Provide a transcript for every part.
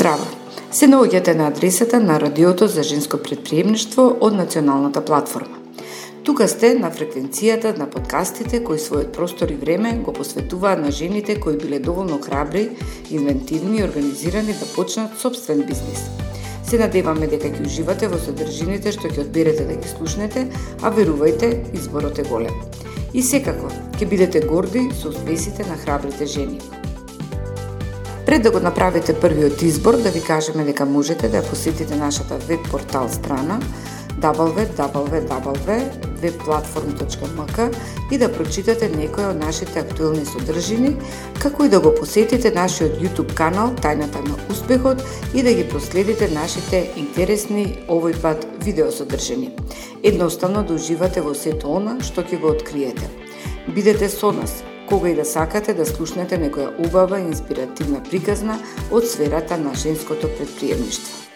Здраво! Се наоѓате на адресата на Радиото за женско претприемништво од Националната платформа. Тука сте на фреквенцијата на подкастите кои својот простор и време го посветуваат на жените кои биле доволно храбри, инвентивни и организирани да почнат собствен бизнис. Се надеваме дека ќе уживате во содржините што ќе одберете да ги слушнете, а верувајте, изборот е голем. И секако, ќе бидете горди со успесите на храбрите жени. Пред да го направите првиот избор, да ви кажеме дека можете да посетите нашата веб портал страна www.webplatform.mk и да прочитате некои од нашите актуелни содржини, како и да го посетите нашиот YouTube канал Тајната на успехот и да ги проследите нашите интересни овој пат видеосодржини. Едноставно да уживате во сето она што ќе го откриете. Бидете со нас кога и да сакате да слушнете некоја убава и инспиративна приказна од сферата на женското претприемништво.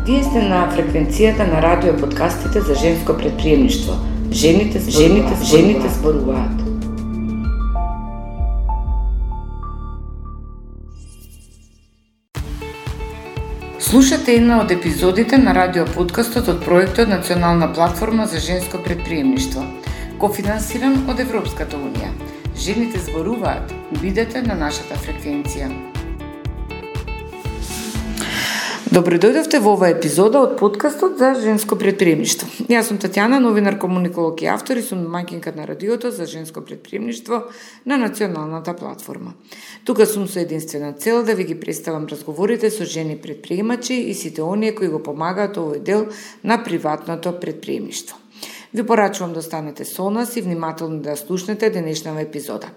Вие сте на фреквенцијата на радио подкастите за женско претприемништво. Жените зборуваат. Слушате една од епизодите на радио подкастот од проектот Национална платформа за женско претприемништво, кофинансиран од Европската унија. Жените зборуваат. Бидете на нашата фреквенција. Добро дојдовте во оваа епизода од подкастот за женско претприемништво. Јас сум Татјана, новинар, комуниколог и автор и сум домаќинка на радиото за женско претприемништво на Националната платформа. Тука сум со единствена цел да ви ги представам разговорите со жени претприемачи и сите оние кои го помагаат овој дел на приватното претприемништво. Ви порачувам да останете со нас и внимателно да слушнете денешната епизода.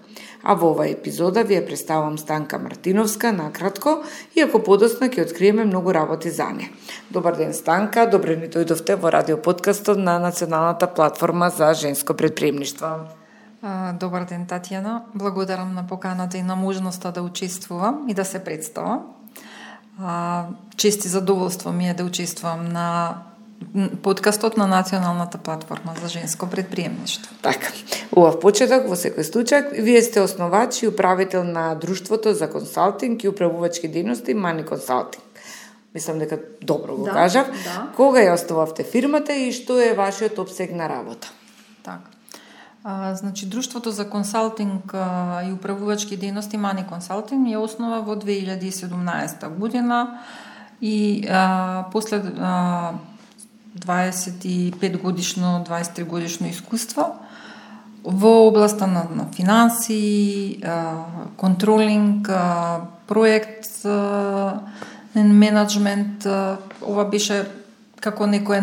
А во оваа епизода ви ја представам Станка Мартиновска накратко, иако подоцна ќе откриеме многу работи за неа. Добар ден, Станка, добре ни дојдовте во радиоподкастот на Националната платформа за женско претприемништво. Добар ден, Татјана. Благодарам на поканата и на можноста да учествувам и да се представам. Чест и задоволство ми е да учествувам на подкастот на Националната платформа за женско претприемништво. Така, убав почеток во секој случај. Вие сте основач и управител на Друштвото за консалтинг и управувачки дејности Мани Консалтинг. Мислам дека добро го кажав. Да. Кога ја основавте фирмата и што е вашиот опсег на работа? Така. Значи, Друштвото за консалтинг и управувачки дејности Мани Консалтинг ја основа во 2017 година и после 25 годишно, 23 годишно искуство во областа на финанси, контролинг, проект, менеджмент. Ова беше како некој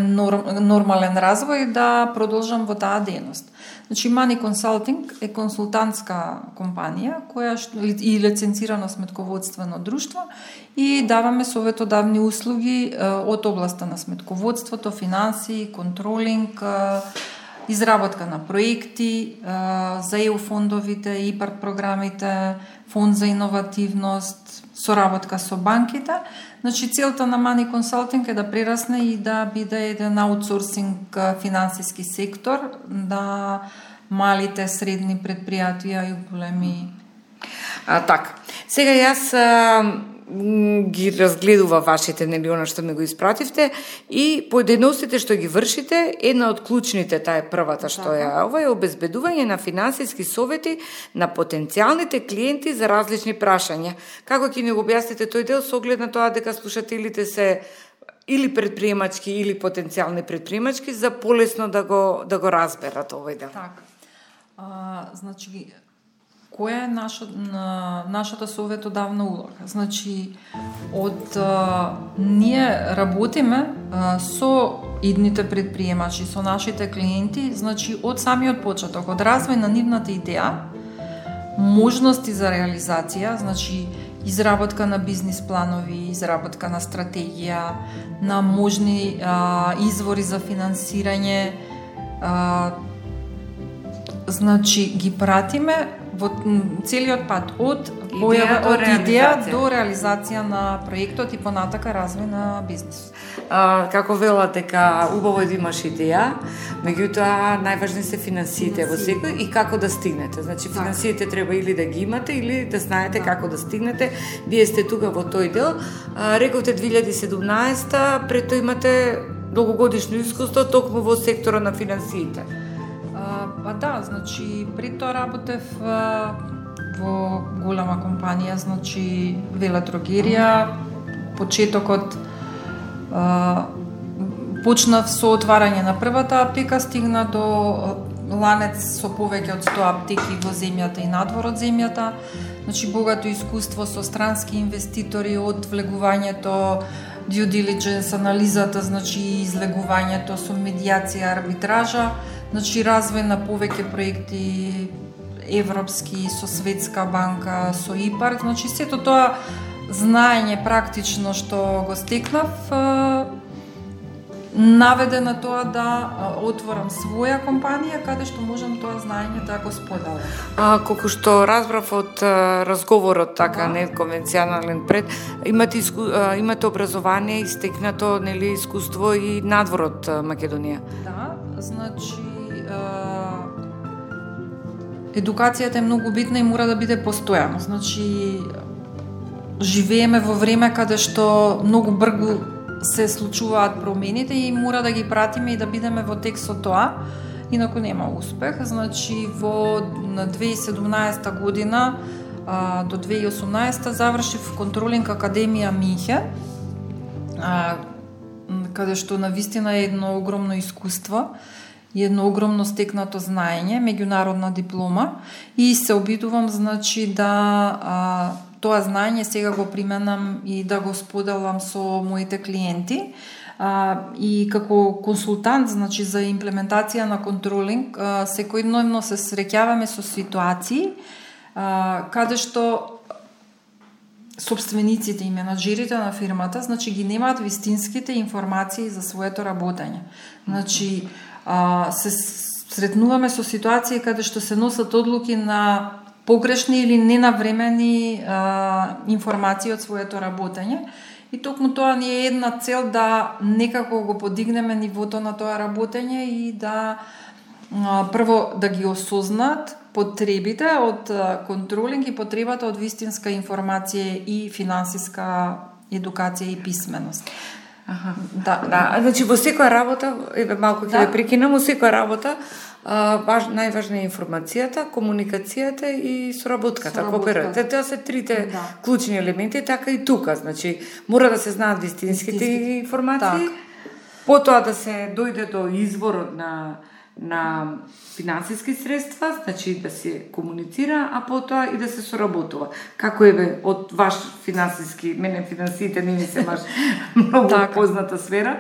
нормален развој да продолжам во таа дејност. Значи, Мани Консалтинг е консултантска компанија која и лиценцирано сметководствено друштво и даваме советодавни услуги од областа на сметководството, финанси, контролинг, изработка на проекти за ЕУ фондовите, ИПАРТ програмите, фонд за иновативност, соработка со банките. Значи, целта на Мани Консалтинг е да прерасне и да биде еден аутсорсинг финансиски сектор, да малите, средни предпријатија и големи. Така. Сега јас ги разгледува вашите, она што ме го испративте и поединостите што ги вршите, една од клучните, таа е првата што ова е обезбедување на финансиски совети на потенцијалните клиенти за различни прашања. Како ќе ни го објасните тој дел со оглед на тоа дека слушателите се или предприемачки или потенцијални предприемачки за полесно да го разберат овој дел? Така. Значи, која е нашата советодавна улога? Значи, ние работиме со идните предприемачи, со нашите клиенти, значи од самиот почеток, од развој на нивната идеја, можности за реализација, значи изработка на бизнис планови, изработка на стратегија, на можни извори за финансирање, значи ги пратиме во целиот пат од идеја до реализација на проектот и понатака развој на бизнис. Како велат дека убаво е да имаш идеја, меѓутоа најважни се финансиите во секој и како да стигнете. Значи финансиите треба или да ги имате или да знаете како да стигнете. Вие сте тука во тој дел. Рековте 2017, пред тоа имате долгогодишно искуство токму во сектора на финансиите. Да, значи пред тоа работев во голема компанија, значи велетрогерија. Почетокот почнав со отварање на првата аптека, стигна до ланец со повеќе од 100 аптеки во земјата и надвор од земјата. Значи богато искуство со странски инвеститори од влегувањето, due diligence, анализата, значи излегувањето со медијација, арбитража, значи развој на повеќе проекти европски, со Светска банка, со ИПАР, значи сето тоа знаење практично што го стекнав наведе на тоа да отворам своја компанија каде што можам тоа знаење да го споделам. Колку што разбрав од разговорот така неконвенционален пред, имате образование и стекнато нели искуство и надвор од Македонија. Да, значи едукацијата е многу битна и мора да биде постојано. Значи живееме во време каде што многу брзо се случуваат промените и мора да ги пратиме и да бидеме во тек со тоа, инаку нема успех. Значи во 2017 година до 2018 завршив контролинг академија Минхен, каде што навистина е едно огромно искуство и едно огромно стекнато знаење, меѓународна диплома, и се обидувам значи да тоа знаење сега го применам и да го споделам со моите клиенти. И како консултант, значи за имплементација на контролинг, секојдневно се среќаваме со ситуации каде што собствениците и менаџерите на фирмата, значи ги немаат вистинските информации за своето работење. Значи се сретнуваме со ситуации каде што се носат одлуки на погрешни или ненавремени информации од своето работење. И токму тоа ни е една цел да некако го подигнеме нивото на тоа работење и да прво да ги осознаат потребите од контролинг и потребата од вистинска информација и финансиска едукација и писменост. Да, значи во секоја работа, малку ќе ве прекинам, во секоја работа најважна е информацијата, комуникацијата и соработката, кооперацијата. Тоа се трите клучни елементи, така и тука. Значи, мора да се знаат вистинските информации, потоа да се дојде до изворот на финансиски средства, значи да се комуницира, а потоа и да се соработува. Како е од ваш финансиски, мене финансиите не ми се баш многу позната сфера.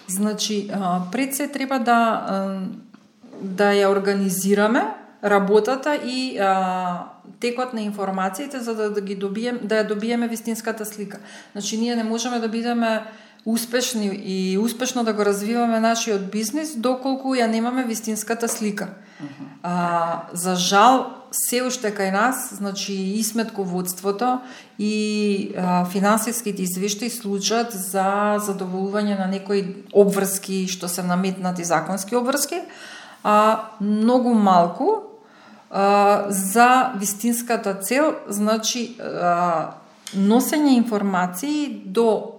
Значи, пред се треба да ја организираме работата и текот на информациите за да ја добиеме вистинската слика. Значи ние не можеме да бидеме успешни и успешно да го развиваме нашиот бизнис доколку ја немаме вистинската слика. За жал се уште кај нас, значи и сметководството и финансиските извештаи служат за задоволување на некои обврски што се наметнати законски обврски, многу малку за вистинската цел, значи носење информации до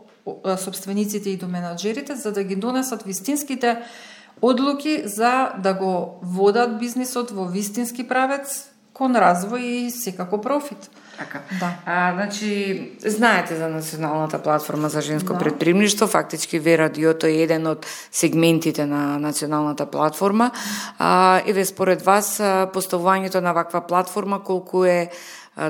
собствениците и до менаџерите за да ги донесат вистинските одлуки за да го водат бизнисот во вистински правец кон развој и секако профит. Така. Да. Значи, знаете за Националната платформа за женско предприемништво, фактички ВРадиото е еден од сегментите на Националната платформа. Еве според вас поставувањето на ваква платформа колку е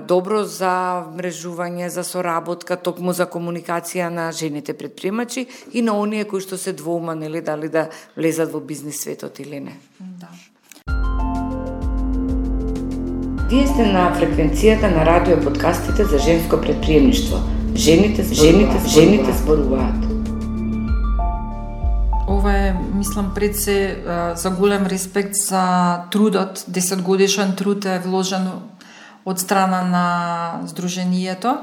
добро за мрежување, за соработка, токму за комуникација на жените предприемачи и на оние кои што се двоума, нели, дали да влезат во бизнис светот или не. Да. Вие сте на фреквенцијата на радио подкастите за женско предприемништво. Жените зборуваат. Ова е, мислам, пред се за голем респект за трудот, 10 годишен труд е вложен од страна на Сдруженијето.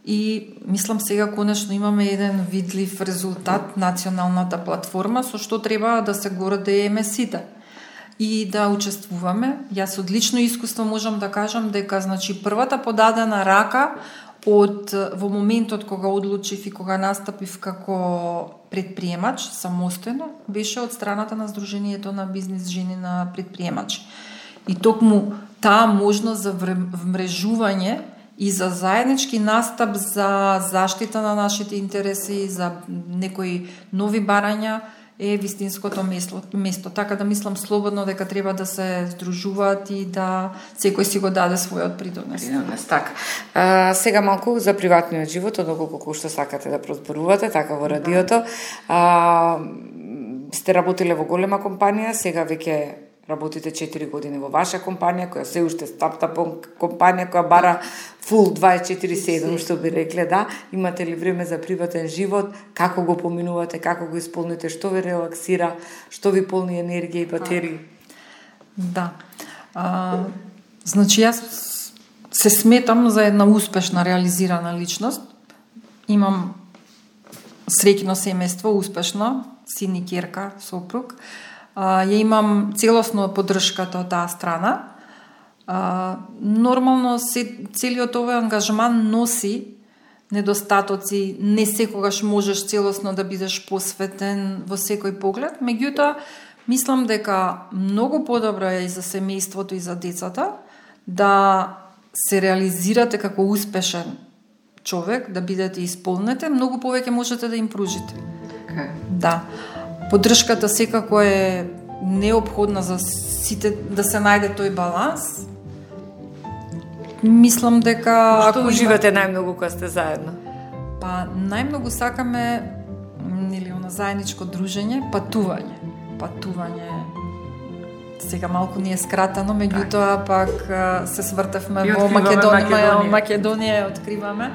И мислам сега конечно имаме еден видлив резултат, националната платформа, со што треба да се гордееме сите и да учествуваме. Јас од лично искуство можам да кажам дека значи првата подадена рака во моментот кога одлучив и кога настапив како предприемач самостојно беше од страната на Сдруженијето на бизнис жени на предприемачи. И токму таа можност за вмрежување и за заеднички настап за заштита на нашите интереси, за некои нови барања е вистинското место. Така да мислам слободно дека треба да се здружуваат и да секој си го даде својот придонес. Така. Сега малку за приватниот живот, доколку што сакате да прозборувате, така во радиото. Сте работиле во голема компанија, сега веќе работите 4 години во ваша компанија, која се уште стартап компанија, која бара фул 24/7, што би рекле, да. Имате ли време за приватен живот? Како го поминувате? Како го исполните? Што ви релаксира? Што ви полни енергија и батерии? Да. Значи, јас се сметам за една успешна, реализирана личност. Имам среќно семејство, успешно, син и ќерка, сопруг. Ја имам целосно поддршката од таа страна. Нормално целиот овој ангажман носи недостатоци, не секогаш можеш целосно да бидеш посветен во секој поглед, меѓутоа мислам дека многу подобро е и за семејството и за децата да се реализирате како успешен човек, да бидете исполнете, многу повеќе можете да им пружите. Okay. Да. Поддршката секако е неопходна за сите да се најде тој баланс. Мислам дека што уживате најмногу кога сте заедно? Па најмногу сакаме на заедничко дружење, патување. Сега малку ни е скратено, меѓутоа пак се свртевме во Македонија откриваме.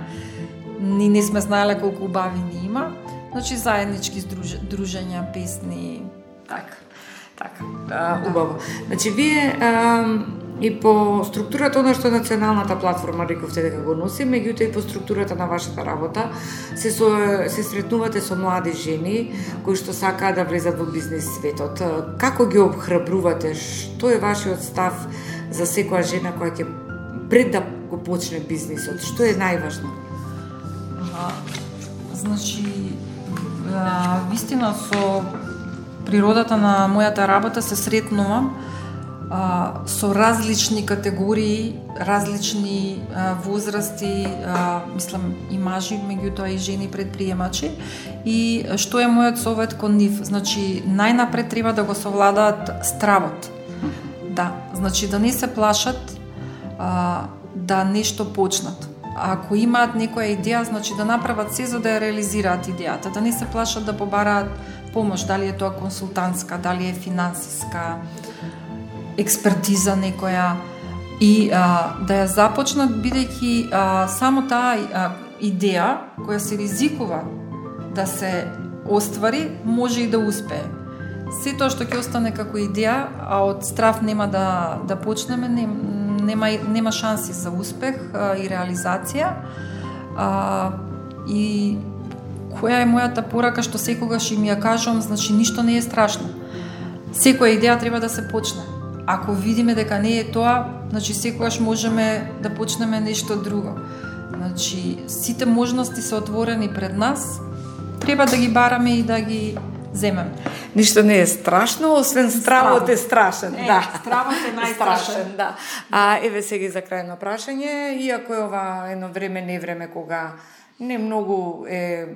Ни не сме знаеле колку убави ни има. Значи заеднички дружења, песни. Така. Убаво. Значи вие и по структурата она што националната платформа рековте дека го носи, меѓутоа и по структурата на вашата работа се сретнувате со млади жени кои што сакаат да влезат во бизнис светот. Како ги обхрабрувате? Што е вашиот став за секоја жена која ќе пред да го почне бизнисот? Што е најважно? Значи вистина со природата на мојата работа се сретнувам со различни категории, различни возрасти, мислам и мажи, меѓутоа и жени предприемачи. И што е мојот совет кон нив? Значи најнапред треба да го совладаат стравот. Да, значи да не се плашат да нешто почнат. Ако имаат некоја идеја, значи да направат се за да ја реализираат идејата, да не се плашат да побараат помош, дали е тоа консултантска, дали е финансиска, експертиза некоја и да ја започнат бидејќи само таа идеја која се ризикува да се оствари, може и да успее. Се тоа што ќе остане како идеја, а од страв нема да почнеме, нема шанси за успех и реализација. И која е мојата порака што секогаш им ја кажувам, значи ништо не е страшно. Секоја идеја треба да се почне. Ако видиме дека не е тоа, значи секогаш можеме да почнеме нешто друго. Значи сите можности се отворени пред нас, треба да ги бараме и да ги земеме. Ништо не е страшно, освен стравот е страшен. Да, стравот е најстрашен. Да. Еве сега за крајно прашање, иако е ова едно време, не време кога не многу е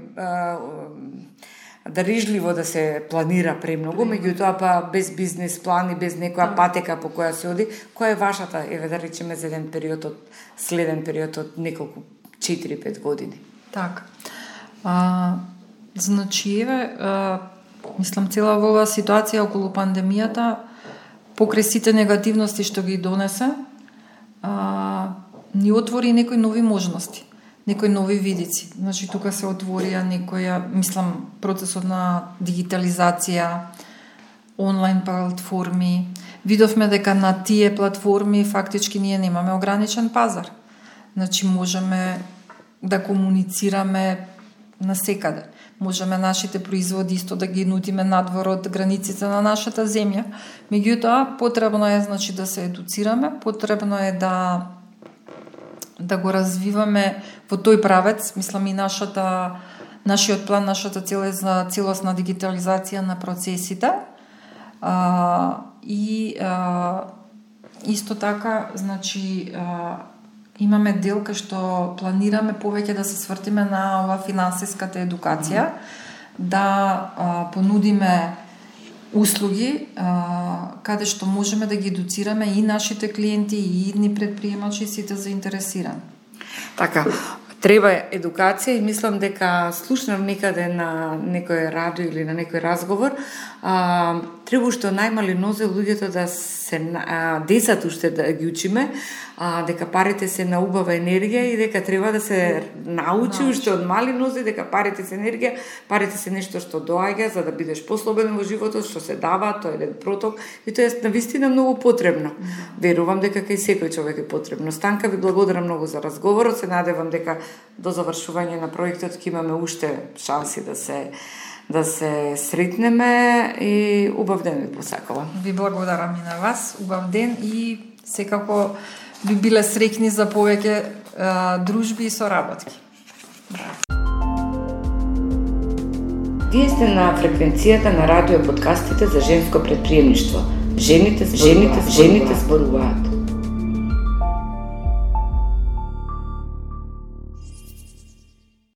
дарижливо да се планира премногу, меѓутоа па без бизнес план и без некоја патека по која се оди, која е вашата, еве да речеме за еден период од следен период од неколку 4-5 години? Така. Значи еве мислам цела во оваа ситуација околу пандемијата, покрај сите негативности што ги донесе, ни отвори некои нови можности, некои нови видици. Значи тука се отворија процесот на дигитализација, онлайн платформи, видовме дека на тие платформи фактички ние немаме ограничен пазар. Значи можеме да комуницираме насекаде. Можеме нашите производи исто да ги нудиме надвор од границите на нашата земја. Меѓутоа, потребно е значи да се едуцираме, потребно е да го развиваме во тој правец. Мислам и нашиот план, нашата цел е за целосна дигитализација на процесите. Исто така, значи, имаме дел кај што планираме повеќе да се свртиме на ова финансиската едукација, да понудиме услуги каде што можеме да ги едуцираме и нашите клиенти и идни предприемачи, сите заинтересирани. Така, треба едукација и мислам дека слушнав некаде на некој радио или на некој разговор, треба уште најмали нозе луѓето да се децата уште да ги учиме, дека парите се на убава енергија и дека треба да се научи уште од мали нозе дека парите се енергија, парите се нешто што доаѓа за да бидеш послободен во животот, што се дава, тоа е еден проток и тоа е навистина многу потребно. Верувам дека кај секој човек е потребно. Станка, ви благодарам многу за разговорот, се надевам дека до завршување на проектот ќе имаме уште шанси да се сретнеме и убав ден ви посакувам. Ви благодарам и на вас, убав ден и секако би биле среќни за повеќе дружби и соработки. Вие сте на фреквенцијата на радио подкастите за женско предприемништво. Жените зборуваат.